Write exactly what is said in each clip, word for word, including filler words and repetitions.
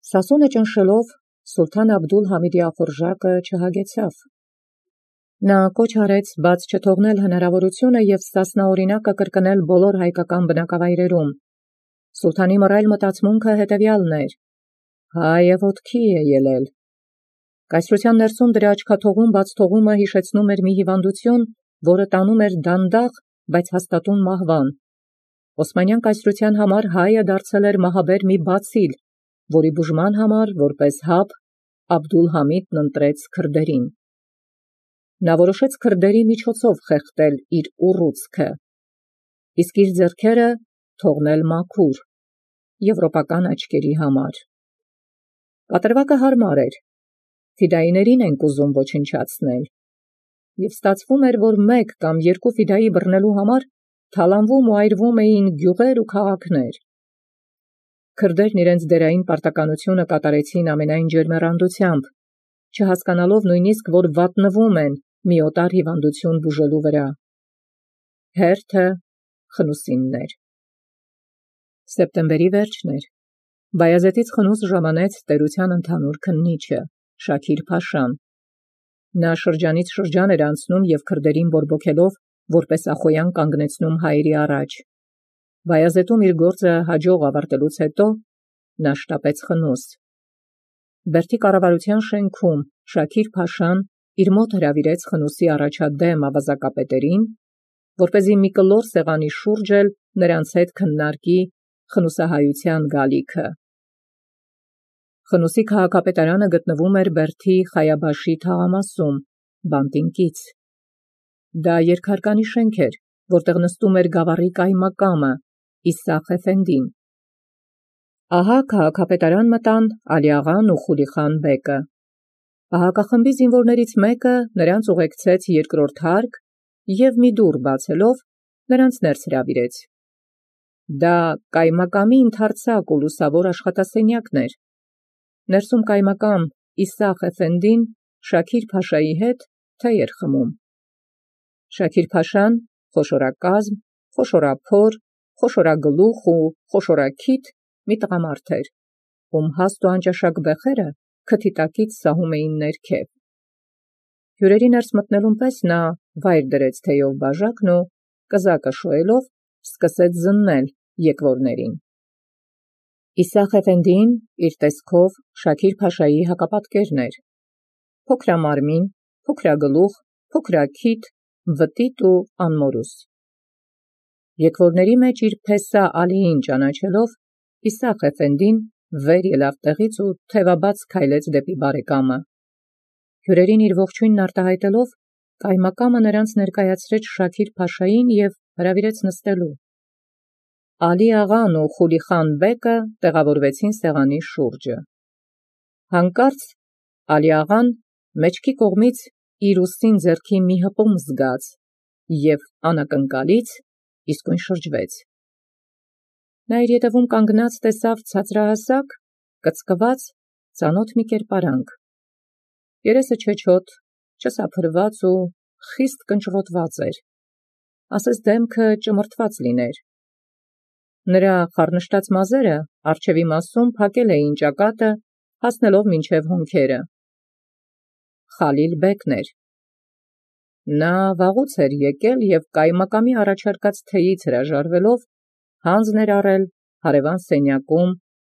Սասունը ճնշելով Սուլթան Աբդուլ-Համիդի ախորժակը չհագեցավ։ Նա կոչ արեց բաց չթողնել հնարավորությունը և ստասնաօրինակը կրկնել բոլոր հայկական բնակավայրերում։ Սուլթանի մռայլ մտածմունքը հետևյալն էր. հայը ոտքի է ելել։ Կայսրության ներսում դրա աչքաթողում բաց թողումը հիշեցնում էր մի հիվանդություն, որը տանում էր դանդաղ, բայց հաստատուն մահվան։ Օսմանյան կայսրության համար հայը դարձել էր մահաբեր մի բացիլ, որի բուժման համար որպես հապ Աբդուլ-Համիդն ընտրեց քրդերին։ Նա որոշեց քրդերի միջոցով խեղդել իր ուռուցքը, իսկ իր ձեռքերը թողնել մաքուր, եվրոպական աչքերի համար։ Կատարվածը հարմար էր, ֆիդայիներին ենք ուզում ոչնչացնել, և ստացվում էր, որ մեկ կամ երկու ֆիդայի բռնելու համար թալանվում ու այրվում էին գյուղեր ու քաղաքներ։ Քրդերն իրենց դերային պարտականությունը կատարեցին ամենայն ջերմեռանդությամբ, չհասկանալով նույնիսկ, որ վատնվում են մի օտար հիվանդություն բուժելու վրա։ Հերթը Խնուսինն էր։ Սեպտեմբերի վերջն էր։ Բայազետից խնուս ժամանեց տերության ընդհանուր քննիչը Շաքիր-փաշան։ Նա շրջանից շրջան էր անցնում և քրդերին բորբոքելով, որպես ախոյան կանգնեցնում հայերի առաջ։ Բայազետում իր գործը հաջող ավարտելուց հետո նա շտապեց խնուս։ Բերդի կառավարության շենքում Շաքիր-փաշան իր մոտ հրավիրեց խնուսի առաջադեմ ավազակապետերին, որպեսզի մի կլոր սեղանի շուրջ էլ նրանց հետ քննարկի խնուսահայության գալիքը։ Խնուսի քաղաքապետարանը գտնվում էր Բերդի Խայաբաշի թաղամասում, բանտին կից։ Դա երկհարկանի շենք էր, որտեղ նստում էր գավառի կայմակամը Իսախ Էֆենդին։ Ահա քաղաքապետարան մտան Ալիաղան ու Խուլիխան բեկը։ Պահակախմբի զինվորներից մեկը նրանց ուղեկցեց երկրորդ հարկ և մի դուռ բացելով նրանց ներս հրավիրեց։ Դա կայմակամի ընդարձակ ու լուսավոր աշխատասենյակն էր։ Ներսում կայմակամ Իսախ Էֆենդին Շաքիր-փաշայի հետ թեյ էր խմում։ Շաքիր-փաշան խոշորակազմ, խոշորափոր, խոշորագլուխ ու խոշորաքիթ մի տղամարդ էր, ում հաստ ու անճաշակ բեխերը քթի տակից սահում էին ներքև։ Հյուրերի ներս մտնելուն պես նա վայր դրեց թեյով բաժակն ու կզակը շոյելով սկսեց զննել եկվորներին։ Իսախ Էֆենդին իր տեսքով Շաքիր-փաշայի հակապատկերն էր։ Փոքրամարմին, փոքրագլուխ, փոքրաքիթ, վտիտ ու անմորուս։ Եկվորների մեջ իր փեսա Ալիին ճանաչելով, Իսախ Էֆենդին վեր ելավ տեղից ու թևաբաց քայլեց դեպի բարեկամը։ Հյուրերին իր ողջույնն արտահայտելով, կայմակամը նրանց ներկայացրեց Շաքիր-փաշային և հրավիրեց նստելու։ Ալի-աղան ու Խուլիխան բեկը տեղավորվեցին սեղանի շուրջը։ Հանկարծ Ալի-աղան մեջքի կողմից իր ուսին ձեռքի մի հպում զգաց և անակնկալից իսկույն շրջվեց։ Նա իր ետևում կանգնած տեսավ ցածրահասակ, կծկված, ծանոթ մի կերպարանք։ Երեսը չեչոտ, չսափրված ու խիստ կնճռոտված էր, ասես դեմքը ճմրթված լիներ։ Նրա խառնշտած մազերը առջևի մասում փակել էին ճակատը, հասնելով մինչև հոնքերը։ Խալիլ բեկն էր։ Նա վաղուց էր եկել և կայմակամի առաջարկած թեյից հրաժարվելով հանձն էր առել հարևան սենյակում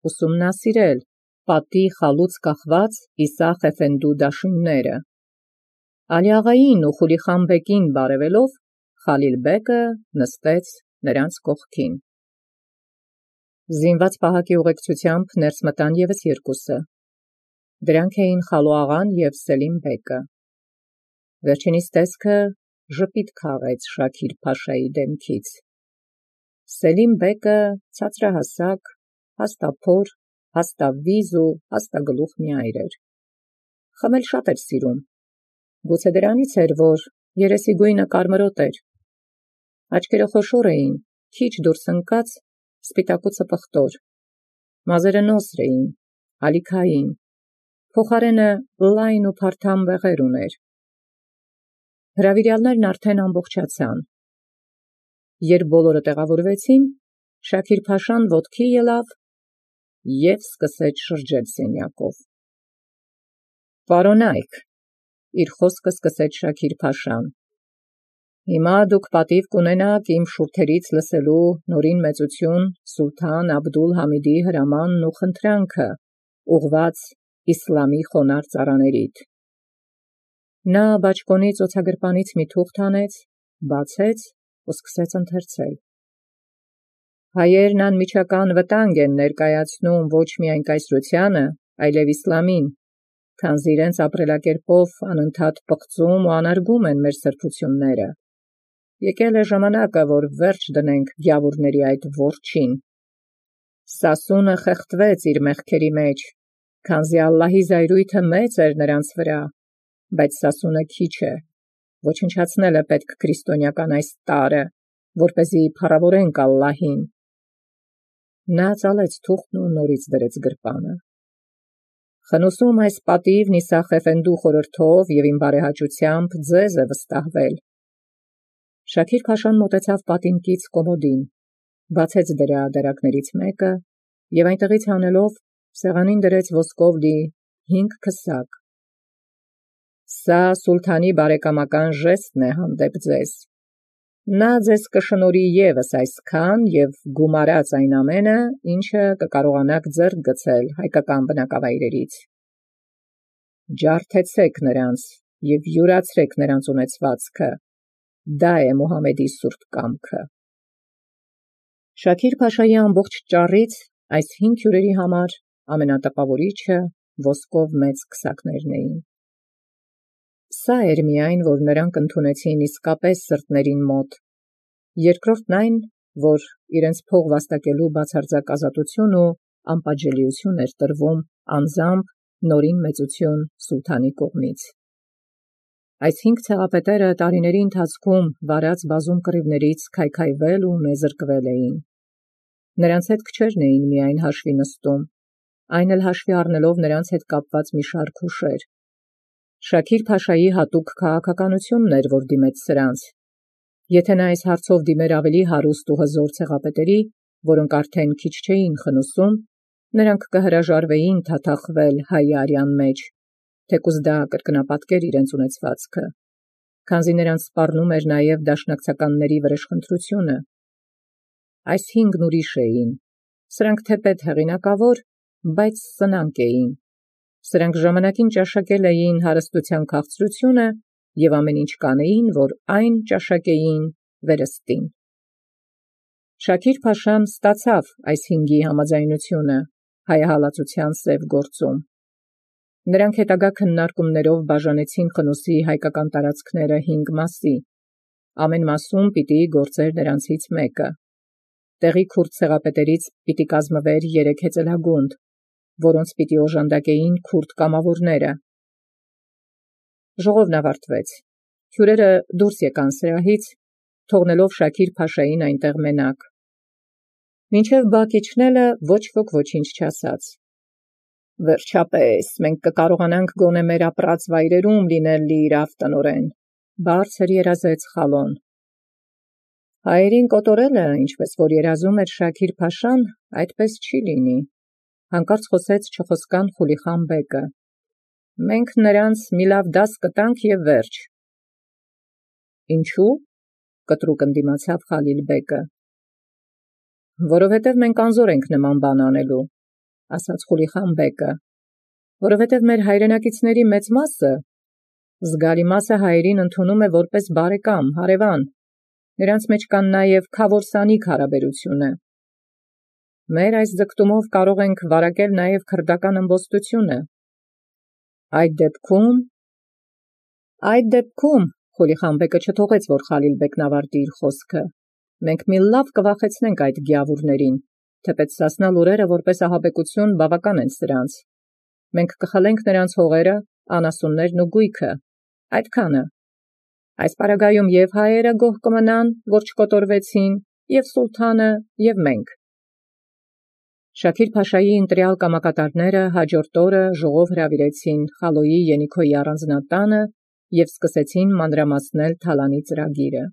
ուսումնասիրել պատի խալուց կախված Իսախ Էֆենդու դաշույնները։ Ալի-աղային ու Խուլիխան բեկին բարևելով, Խալիլ բեկը նստեց նրանց կողքին։ Զինված պահակի ուղեկցությամբ ներս մտան ևս երկուսը։ Դրանք էին Խալո-աղան և Սելիմ բեկը։ Վերջինիս տեսքը ժպիտ քաղեց Շաքիր-փաշայի դեմքից։ Սելիմ բեկը ցածրահասակ, հաստափոր, հաստավիզ ու հաստագլուխ մի այր էր։ Խմել շատ էր սիրում։ Գուցե դրանից էր, որ երեսի գույնը կարմրոտ էր։ Աչքերը խոշոր էին, քիչ դուրս ընկած, սպիտակուցը պղտոր։ Մազերը նոսր էին, ալիքային, փոխարենը լայն ու փարթամ բեղեր ուներ։ Հրավիրյալներն արդեն ամբողջացան։ Երբ բոլորը տեղավորվեցին, Շաքիր-փաշան ոտքի ելավ և սկսեց շրջել սենյակով։ «Պարոնայք», իր խոսքը սկսեց Շաքիր-փաշան, «հիմա դուք պատիվ կունենաք իմ շուրթերից լսելու նորին մեծություն սուլթան Աբդուլ-Համիդի հրամանն ու խնդրանքը, ուղղված իսլամի խոնարհ ծառաներիդ»։ Նա բաճկոնի ծոցագրպանից մի թուղթ հանեց, բացեց ու սկսեց ընթերցել։ «Հայերն անմիջական վտանգ են ներկայացնում ոչ միայն կայսրությանը, այլև իսլամին, քանզի իրենց ապրելակերպով անընդհատ պղծում ու անարգում են մեր սրբությունները։ Եկել է ժամանակը, որ վերջ դնենք գյավուրների այդ որջին։ Սասունը խեղդվեց իր մեղքերի մեջ, քանզի Ալլահի զայրույթը մեծ էր նրանց վրա, բայց Սասունը քիչ է, ոչնչացնել է պետք քրիստոնեական այս տարրը, որպեսզի փառավորենք Ալլահին»։ Նա ծալեց թուղթն ու նորից դրեց գրպանը։ «Խնուսում այս պատիվ Նիսախ Էֆենդու խորհրդով և իմ բարեհաճությամբ ձեզ է վստահվել»։ Շաքիր-փաշան մոտեցավ պատին կից կոմոդին, բացեց դրա դարակներից մեկը և այնտեղից հանելով սեղանին դրեց ոսկով լի հինգ քսակ։ «Սա սուլթանի բարեկամական ժեստն է հանդեպ ձեզ. նա ձեզ կշնորհի ևս այսքան և գումարած այն ամենը, ինչը կկարողանաք ձեռք գցել հայկական բնակավայրերից։ Ջարդեցեք նրանց և յուրացրեք նրանց ունեցվածքը, դա է Մուհամեդի սուրբ կամքը»։ Շաքիր-փաշայի ամբողջ ճառից այս հինգ հյուրերի համար ամենատպավորիչը ոսկով մեծ քսակներն էին։ Սա էր միայն, որ նրանք ընդունեցին իսկապես սրտերին մոտ, երկրորդն այն, որ իրենց փող վաստակելու բացարձակ ազատություն ու անպատժելիություն էր տրվում անձամբ նորին մեծություն սուլթանի կողմից։ Այս հինգ ցեղապետերը տարիների ընթացքում վարած բազում կռիվներից քայքայվել ու նեզրկվել էին։ Նրանց հետ քչերն էին միայն հաշվի նստում, այն էլ հաշվի առնելով նրանց հետ կապված մի շարք հուշեր։ Շաքիր-փաշայի հատուկ քաղաքականությունն էր, որ դիմեց սրանց։ Եթե նա այս հարցով դիմեր ավելի հարուստ ու հզոր ցեղապետերի, որոնք արդեն քիչ չէին խնուսում, նրանք կհրաժարվեին թաթախվել հայ արյան մեջ, թեկուզ դա կրկնապատկեր իրենց ունեցվածքը, քանզի նրանց սպառնում էր նաև դաշնակցականների վրեժխնդրությունը։ Այս հինգն ուրիշ էին, սրանք թեպետ հեղինակավոր, բայց սնանկ էին։ Սրանք ժամանակին ճաշակել էին հարստության քաղցրությունը և ամեն ինչ կանեին, որ այն ճաշակեին վերստին։ Շաքիր-փաշան ստացավ այս հինգի համաձայնությունը հայահալածության սև գործում։ Նրանք հետագա քննարկումներով բաժանեցին խնուսի հայկական տարածքները հինգ մասի, ամեն մասում պիտի գործեր նրանցից մեկը։ Տեղի քուրդ ցեղապետերից պիտի կազմվեր երեք հեծելագունդ, որոնց պիտի օժանդակեին քուրդ կամավորները։ Ժողովն ավարտվեց։ Հյուրերը դուրս եկան սրահից, թողնելով Շաքիր-փաշային այնտեղ մենակ։ Մինչև բակ իջնելը ոչ ոք ոչինչ չասաց։ «Վերջապես մենք կկարողանանք գոնե մեր ապրած վայրերում լինել լիիրավ տնօրեն», բարձր երազեց Խալոն։ «Հայերին կոտորելը, ինչպես որ երազում էր Շաքիր-փաշան, այդպես չի լինի», հանկարծ խոսեց Չխոսկան Խուլիխան բեկը։ «Մենք նրանց մի լավ դաս կտանք և վերջ»։ «Ինչու՞», կտրուկ ընդդիմացավ Խալիլ-բեկը։ «Որովհետև մենք անզոր ենք նման բան անելու», ասաց Խուլիխան բեկը, «որովհետև մեր հայրենակիցների մեծ մասը, զգալի մասը հայերին ընդունում է որպես բարեկամ, հարևան, նրանց մեջ կան նաև քավոր-սանիկ հարաբերությունը։ Մեր այս ձգտումով կարող ենք վարակել նաև քրդական ըմբոստությունը։ Այդ դեպքում… Այդ դեպքում, Խուլիխան բեկը չթողեց, որ Խալիլ-բեկն ավարտի իր խոսքը, մենք մի լավ կվախեցնենք այդ գյավուրներին, թեպետ Սասնա լուրերը որպես ահաբեկություն բավական են սրանց։ Մենք կխլենք նրանց հողերը, անասուններն ու գույքը, այդքանը։ Այս պարագայում և հայերը գոհ կմնան, որ չկոտորվեցին, և սուլթանը, և մենք։ Շաքիր-փաշայի ընտրյալ կամակատարները հաջորդ օրը ժողով հրավիրեցին Խալոյի Ենիքոյի առանձնատանը և սկսեցին մանրամասնել թալանի ծրագիրը։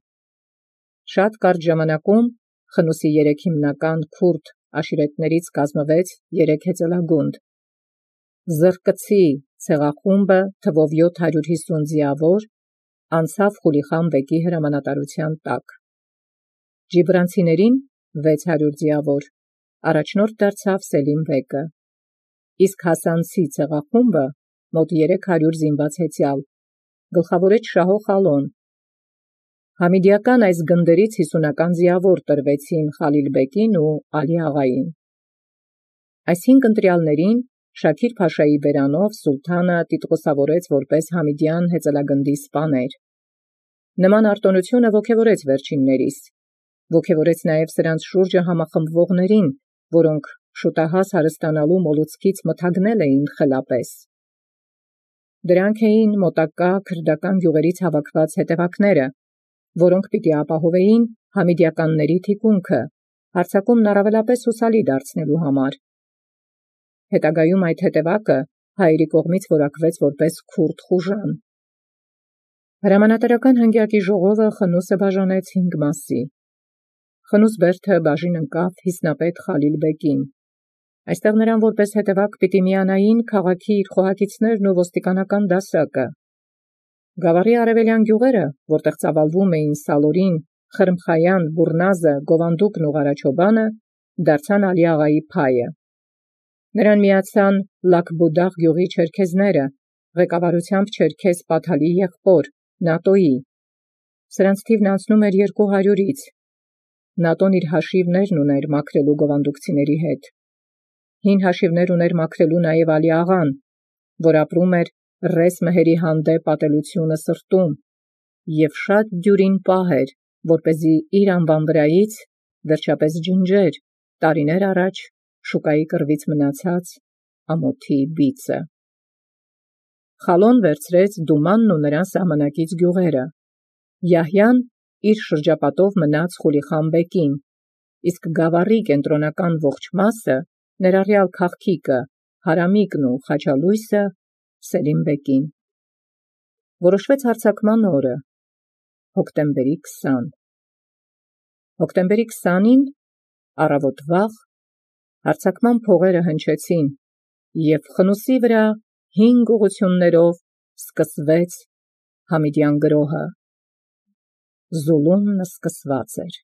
Շատ կարճ ժամանակում խնուսի երեք հիմնական քուրդ աշիրետներից կազմվեց երեք հեծելագունդ։ Զրկցի ցեղախումբը թվով յոթ հարյուր հիսուն ձիավոր անցավ Խուլիխան բեկի հրամանատարության տակ։ Ջիբրանցիներին վեց հարյուր ձիավոր առաջնորդ դարձավ Սելիմ բեկը, իսկ Հասանցի ցեղախումբը մոտ երեք հարյուր զինված հեծյալ գլխավորեց Շահո Խալոն։ Համիդիական այս գնդերից հիսունական ձիավոր տրվեցին Խալիլ բեկին ու Ալի աղային։ Այս հինգ ընտրյալներին Շաքիր Փաշայի բերանով սուլթանը տիտղոսավորեց որպես Համիդյան հեծելագնդի սպաներ։ Նման արտոնությունը ոգևորեց վերջիններիս, ոգևորեց նաև սրանց շուրջը համախմբվողներին, որոնք շուտահաս հարստանալու մոլուցքից մթագնել էին խելապես։ Դրանք էին մոտակա քրդական գյուղերից հավաքված հետևակները, որոնք պիտի ապահովեին համիդյականների թիկունքը, հարձակումն առավելապես հուսալի դարձնելու համար։ Հետագայում այդ հետևակը հայերի կողմից որակվեց որպես քուրդ խուժան։ Հրամանատարական հնգյակի ժողովը խնուսը բաժանեց հինգ մասի։ Խնուս բերդը բաժին ընկավ հիսնապետ Խալիլ բեկին։ Այստեղ նրան որպես հետևակ պիտի միանային քաղաքի իր խոհակիցներն ու ոստիկանական դասակը։ Գավառի արևելյան գյուղերը, որտեղ ծավալվում էին Սալորին, Խրմխայան, Բուրնազը, Գովանդուկն ու Ղարաչոբանը, դարձան Ալի աղայի փայը։ Նրան միացան Լաքբուդաղ գյուղի չերքեզները, ղեկավարությամբ չերքեզ Պաթալի եղբոր Նատոյի։ Սրանց թիվն անցնում էր երկու հարյուրից։ Նատոն իր հաշիվներն ուներ մաքրելու գովանդուկցիների հետ։ Հին հաշիվներ ուներ մաքրելու նաև Ալի աղան, որ ապրում էր ռես մհերի հանդեպ ատելությունը սրտում, և շատ դյուրին պահ էր, որպեսզի իր անվան վրայից վերջապես ջնջեր տարիներ առաջ շուկայի կռվից մնացած ամոթի բիծը։ Խալոն վերցրեց Դումանն ու նրան սահմանակից գյուղերը։ Յահյան իր շրջապատով մնաց Խուլիխան բեկին, իսկ գավառի կենտրոնական ողջ մասը, ներառյալ քաղքիկը, Հարամիկն ու Խաչալույսը Սելիմ բեկին։ Որոշվեց հարձակման օրը, հոկտեմբերի քսան։ Հոկտեմբերի քսանին առավոտ վաղ հարձակման փողերը հնչեցին, և խնուսի վրա հինգ ուղղություններով սկսվեց Համիդյան գրոհը։ Զուլումն սկսված էր։